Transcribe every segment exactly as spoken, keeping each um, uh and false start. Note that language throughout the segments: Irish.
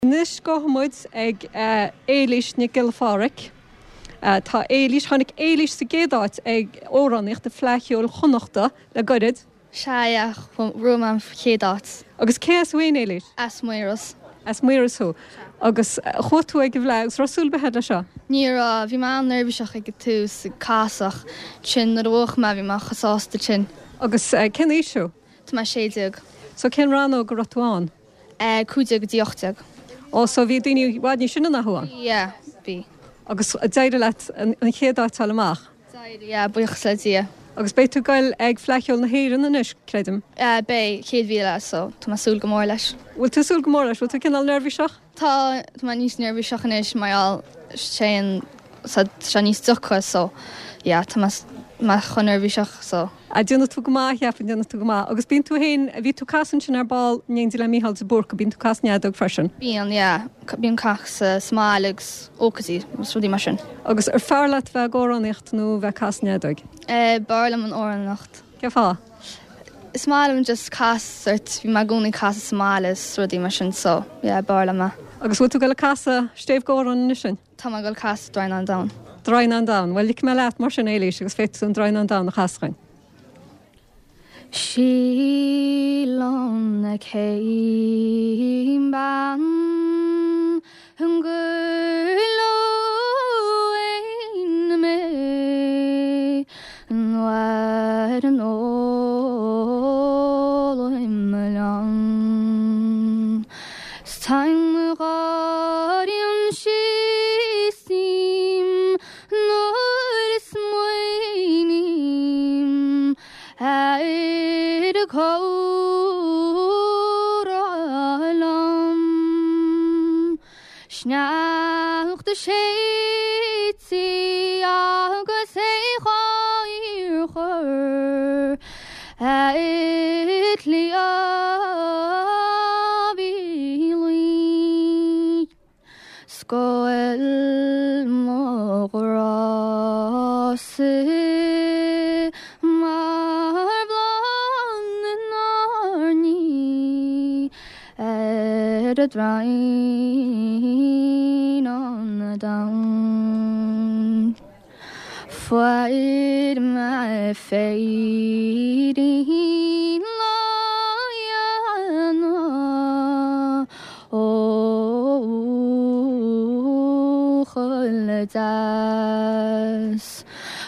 Anois gabhfaidh muid ag Éilís Nic Giolla Phádraig. Tá Éilís, tháinig Éilís sa gcéad áit ag amhránaíocht i Fleadh Cheoil Chonnachta le gairid. Sea, yeah, bhuaigh mé an chéad áit. Agus cé as thú féin, Éilís? As Maoras. As Maoras thú. Agus chuaigh tú ag an bhFleadh agus raibh súil ar bith agat leis seo? Ní raibh, bhí mé an-neirbhíseach ag an tús, ag casadh, ansin nuair a bhuaigh mé bhí mé chomh sásta sin. Agus cén aois thú? Tá mé sé déag. So cén rannóg a raibh tú ann? Cúig déag go dtí ocht déag. Ó, so bhí daoine i bhfad níos sine ná thú ann? Yeah, bhí. Agus d'éirigh leat an chéad áit a fháil amach? D'éirigh, yeah, buíochas le Dia. Agus beidh tú ag goil ag Fleadh Cheoil na hÉireann anois, creidim? Beidh, chéad mhí eile, so tá mé ag súil go mór leis. Bhfuil tú ag súil go mór leis? Bhfuil tú cineál neirbhíseach? Tá, tá mé níos neirbhíseach anois mar gheall sé an, tá sé níos deacra so yeah, tá mé mé chomh neirbhíseach so. Ah, déanfaidh tú go maith, cheapfainn, déanfaidh tú go maith. Agus bíonn tú féin, bhí tú ag casadh ansin ar ball in éindí le Mícheál de Búrca, bíonn tú ag casadh an fheadóg freisin? Bíonn, yeah. Bím ag casadh sa mbaile agus ócáidí agus rudaí mar sin. Agus ar fearr leat bheith ag amhránaíocht nó bheith ag casadh an fheadóig? Eh, b'fhearr liom an amhránaíocht. Cén fáth? Is maith liom just casadh sort, bhí mé i gcónaí ag casadh sa mbaile is rudaí mar sin so, yeah, b'fhearr liom é. Agus bhfuil tú ag dul ag casadh stéibh amhráin anois sin? Tá mé ag dul ag casadh Droighneán Donn. Droighneán Donn. Bhuel, ligfidh mé leat mar sin, Éilís, agus féadfaidh tú an Droighneán Donn a chasadh dhuinn. Sí liom na céim bean gur luain mé nuair an ólaim liom. 'S táim gáiríonn sí nuair a smaoiním ar a comhrá liom. Sneachta séidte agus é dhá chur ar cliabh í luí. 'S go bhfuil mo ghrá-sa mar bhláth na n-airní ar an droighneán donn. Fuair mé féirín lá dhéanamh ó buachaill deas.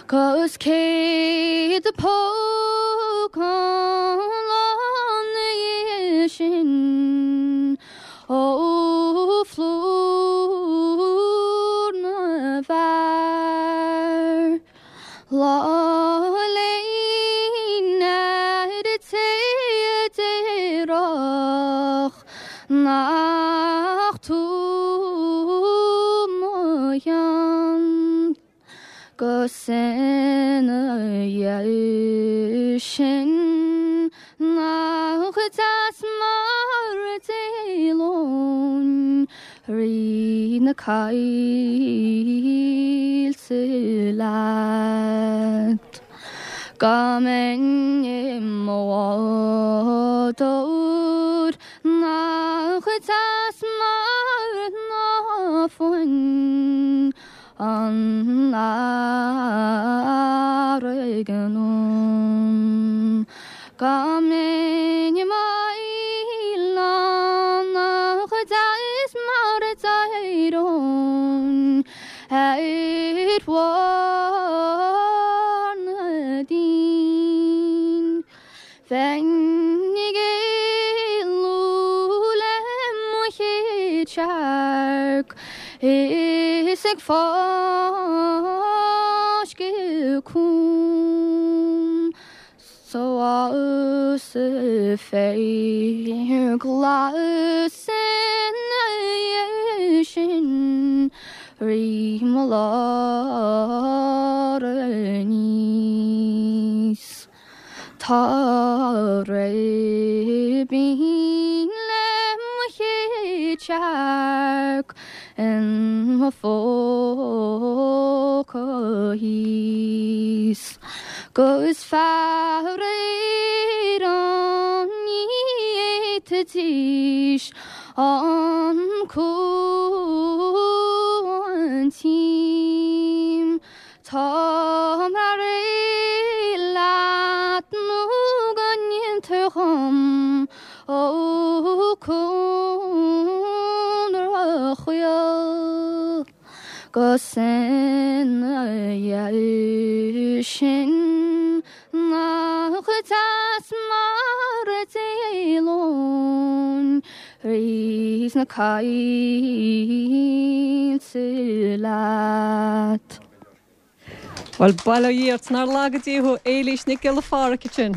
'Cos céad póg an lá ina dhiaidh sin ó phlúr na bhfear. Lá léinn ar an té a déarfadh nach tú mo cheann. 'Gus ina dhiaidh sin nach deas mar a d'éalóinn thrí na coillte leat. Go mbeinn i mo bhádóir nach deas mar ná fuin an fharraige anonn. Go mbeinn i m'fhaoileán nach deas mar a d'éireoinn ar bharr na dTinn. Bheinn ag éalú le mo chéad searc is ag fáisceadh cúng. So sa féar glas ina dhiaidh sin rith mo lár aníos. Tá ribín le mo chéad searc in mo phóca thíos. 'Gus faraor ní fhéadfaidís An cuan tím Tá mé réidh leat nó go ndéantar dhom ó Cónra Chaol Gus ina dhiaidh sin nach deas mar a d'éalóinn thríd na coillte leat. Well bail ó Dhia ort nár laga Dia thú Éilís Nic Giolla Phádraig sin.